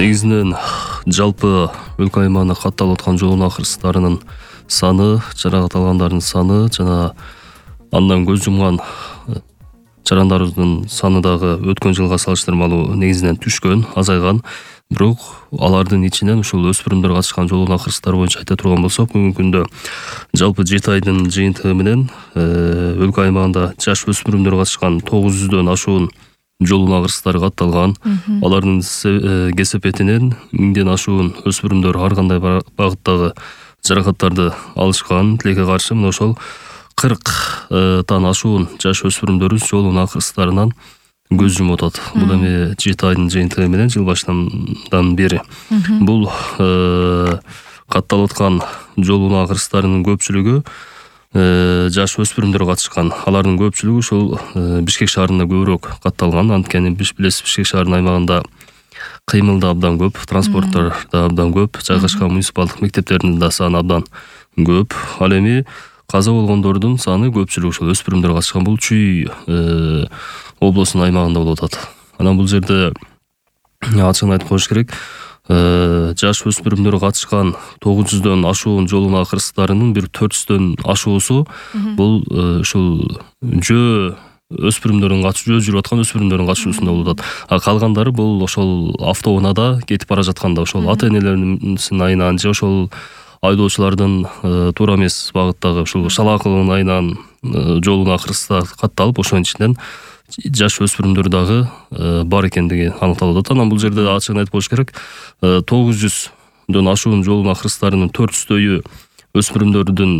Негизинен жалпы өлкө аймагына катталып аткан жол акырыстарынын саны, жаракат алгандардын саны жана андан көз жумган жарандардын саны дагы өткөн жылга салыштырмалуу негизинен түшкөн, азайган. Бирок алардын ичинен ушул өспүрүмдөр катышкан жол акырыстары боюнча айта турган болсок, бүгүнкү күндө жалпы 7 айдын жыйынтыгы менен өлкө аймагында жаш өспүрүмдөр катышкан 900дөн ашуун жол акырыстары катталган. Алардын кесепетинен 1000ден ашуун өспүрүмдөр ар кандай багыттагы жаракаттарды алышкан. Тилекке каршы мына ошол 40тан ашуун жаш өспүрүмдөрүбүз жолдун акырыстарынан көз жумуп атат. Бул эми 7 айдын жыйынтыгы менен жыл башынан бери. Бул катталып аткан жолдун акырыстарынын көпчүлүгү жаш өспүрүмдөр катышкан. Алардын көпчүлүгү ушул Бишкек шаарында көбүрөөк катталган. Анткени билесиз, Бишкек шаарынын аймагында кыймыл да абдан көп, транспорттор да абдан көп, жайгашкан муниципалдык мектептердин да саны абдан көп. Ал эми каза болгондордун саны көпчүлүгү ушул өспүрүмдөр катышкан. Бул Чүй облусунун аймагында болуп атат. Анан бул жерде ачыгын айтып коюш керек. Жаш өспүрүмдөр катышкан 900дөн ашуун жолдун акырыстарынын бир 400дөн ашуусу бул ушул жөө жүрүп аткан өспүрүмдөрдүн катышуусунда болуп атат. А калгандары бул ошол автоунаада кетип бара жатканда ошол ата-энелеринин айынан же ошол айдоочулардын туура эмес багыттагы ушул шалаакылын айынан жолдун акырыстары катталып, ошонун ичинен жаш өспүрүмдөр дагы бар экендиги аныкталып атат. Анан бул жерде ачыгын айтып коюш керек. 900дөн ашуун жолдун акырыстарынын 400дөйү өспүрүмдөрдүн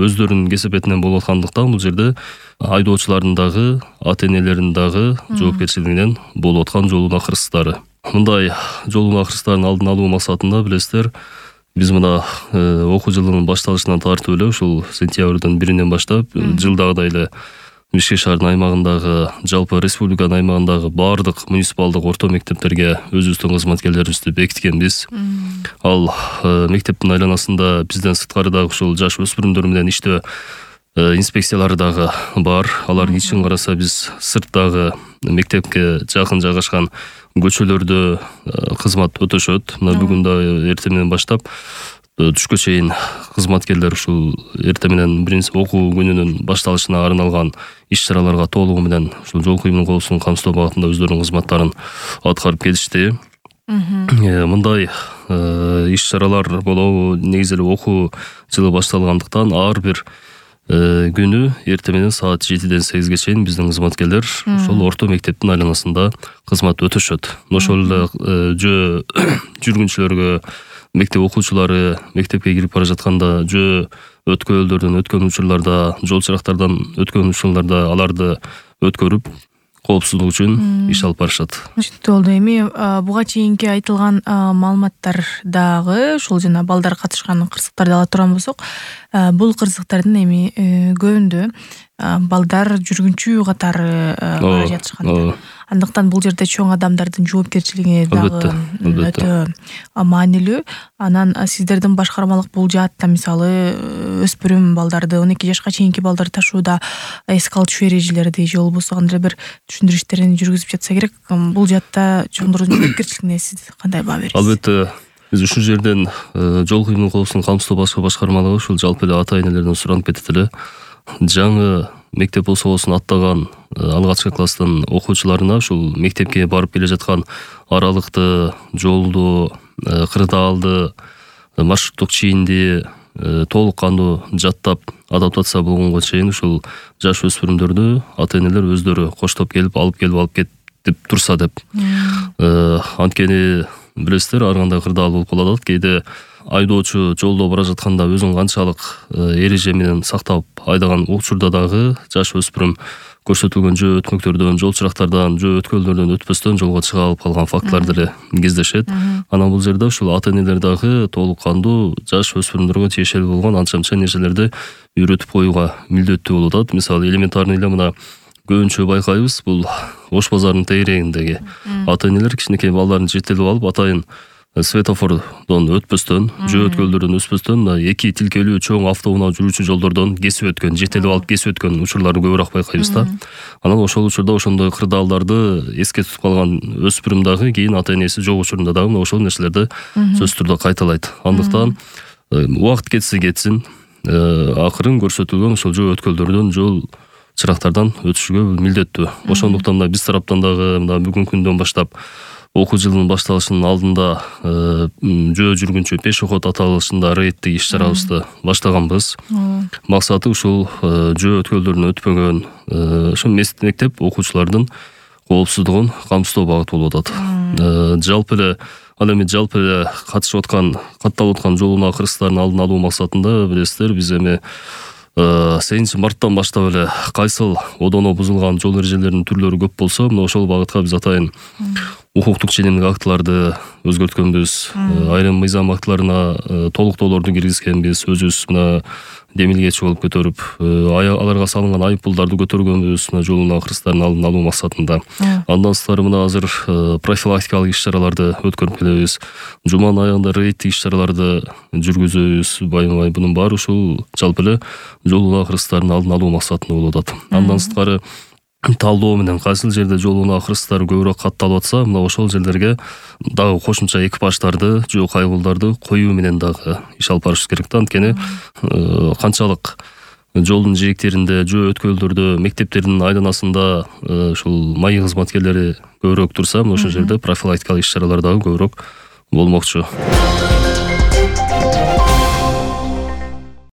өздөрүнүн кесепетинен болуп аткандыктан бул жерде айдоочулардын дагы, ата-энелердин дагы жоопкерчилигинен болуп аткан жолдун акырыстары. Мындай жолдун акырыстарын алдын алуу максатында билесиздер, биз мына окуу жылынын башталышынан тартып эле ушул сентябрдын 1-нен баштап жылдагыдай эле Бишкек шаарынын аймагындагы, жалпы республиканын аймагындагы бардык муниципалдык орто мектептерге өзүбүздүн кызматкерлерибизди бекиткенбиз. Ал мектептин айланасында бизден сырткары дагы ушул жаш өспүрүмдөр менен иштөө инспекциялары дагы бар. Алардын ичин караса биз сырттагы мектепке жакын жайгашкан көчөлөрдө кызмат өтөшөт. Мына бүгүн да эртең менен баштап түшкө чейин кызматкерлер ушул эртең менен биринчи окуу күнүнүн башталышына арналган иш-чараларга толугу менен ушул жол кыймыл коопсуздугун камсыздоо багытында өздөрүнүн кызматтарын аткарып келишти. Мындай иш-чаралар болобу, негизи эле окуу жылы башталгандыктан ар бир күнү эртең менен саат 7ден 8ге чейин биздин кызматкерлер ошол орто мектептин айланасында кызмат өтөшөт. Ошол эле жөө жүргүнчүлөргө, мектеп окуучулары мектепке кирип бара жатканда жөө өткөлдөрдөн өткөн учурларда, жол чырактардан өткөн учурларда аларды өткөрүп, коопсуздук үчүн иш алып барышат. Түшүнүктүү болду. Эми буга чейинки айтылган маалыматтар дагы ушул жана балдар катышкан кырсыктарды ала турган болсок, бул кырсыктардын эми көбүндө балдар жүргүнчү катары бара жатышкан. Андыктан бул жерде чоң адамдардын жоопкерчилиги дагы өтө маанилүү. Анан сиздердин башкармалык бул жаатта мисалы өспүрүм балдарды, 12 жашка чейинки балдарды ташууда эске алчу эрежелерди же болбосо кандай бир түшүндүрүштөрүн жүргүзүп жатса керек. Бул жаатта чоңдордун жоопкерчилигине сиз кандай баа бересиз? Албетте, биз ушул жерден жол кыймыл коопсуздугун камсыздоо башкармалыгы ушул жалпы эле ата-энелерден суранып кетет эле. Жаңы мектеп болсо болсун аттаган алгачкы класстын окуучуларына ушул мектепке барып келе жаткан аралыкты, жолду, кырдаалды, маршруттук чийинди толук кандуу жаттап адаптация болгонго чейин ушул жаш өспүрүмдөрдү ата-энелер өздөрү коштоп келип алып кетип турса деп. Анткени билесиздер, ар кандай кырдаал болуп калып атат. Кээде айдоочу жолдо бара жатканда өзүн канчалык эреже менен сактап айдаган учурда дагы жаш өспүрүм көрсөтүлгөн жөө өтмөктөрдөн, жол чырактардан, жөө өткөлдөрдөн өтпөстөн жолго чыга алып калган фактылар деле кездешет. Анан бул жерде ушул ата-энелер дагы толук кандуу жаш өспүрүмдөргө тиешелүү болгон анча-мынча нерселерди үйрөтүп коюуга милдеттүү болуп атат. Мисалы, элементарный эле мына көбүнчө байкайбыз, бул Ош базарынын тегерегиндеги ата-энелер кичинекей балдарын жетелеп алып, атайын светофордон өтпөстөн, жөө өткөлдөрдөн өтпөстөн эки тилкелүү чоң автоунаа жүрүүчү жолдордон кесип өткөн, жетелеп алып кесип өткөн учурларды көбүрөөк байкайбыз да. Анан ошол учурда ошондой кырдаалдарды эске тутуп калган өспүрүм дагы кийин ата энеси жок учурунда дагы ошол нерселерди сөзсүз түрдө кайталайт. Андыктан убакыт кетсин, акырын көрсөтүлгөн ошол жөө өткөлдөрдөн, жол чырактардан өтүшүгө милдеттүү. Ошондуктан да биз тараптан дагы мына бүгүнкү күндөн баштап окуу жылынын башталышынын алдында жөө жүргүнчү пешеход аталышында рейдтик иш-чарабызды баштаганбыз. Максаты ушул жөө өткөлдөрүнөн өтпөгөн ошо мектеп окуучулардын коопсуздугун камсыздоо багыты болуп атат. Ал эми жалпы эле катышып аткан, катталып аткан жол унаа кырсыктарын алдын алуу максатында билесиздер, биз эми 8-марттан баштап эле кайсыл одоно бузулган жол эрежелеринин түрлөрү көп болсо, мына ошол багытка биз атайын укуктук ченемдик актыларды өзгөрткөнбүз, айрым мыйзам актыларына толуктоолорду киргизгенбиз, өзүбүз мына демилгечи болуп көтөрүп, аларга салынган айыппулдарды көтөргөнбүз, мына жол унаа кырсыктарын алдын алуу максатында. Андан сырткары мына азыр профилактикалык иш-чараларды өткөрүп келебиз. Жуманын аягында рейдтик иш-чараларды жүргүзөбүз. Байма-бай бунун баары ушул жалпы эле жол унаа кырсыктарын алдын алуу максатында болуп атат. Андан сырткары талдоо менен кайсыл жерде жол унаа кырсыктары көбүрөөк катталып атса, мына ошол жерлерге дагы кошумча экипаждарды, жөө кайгылдарды коюу менен дагы иш алып барышыбыз керек да. Анткени канчалык жолдун жээктеринде, жөө өткөлдөрдө, мектептердин айланасында ушул майы кызматкерлери көбүрөөк турса, ошол жерде профилактикалык иш-чаралар дагы көбүрөөк болмокчу.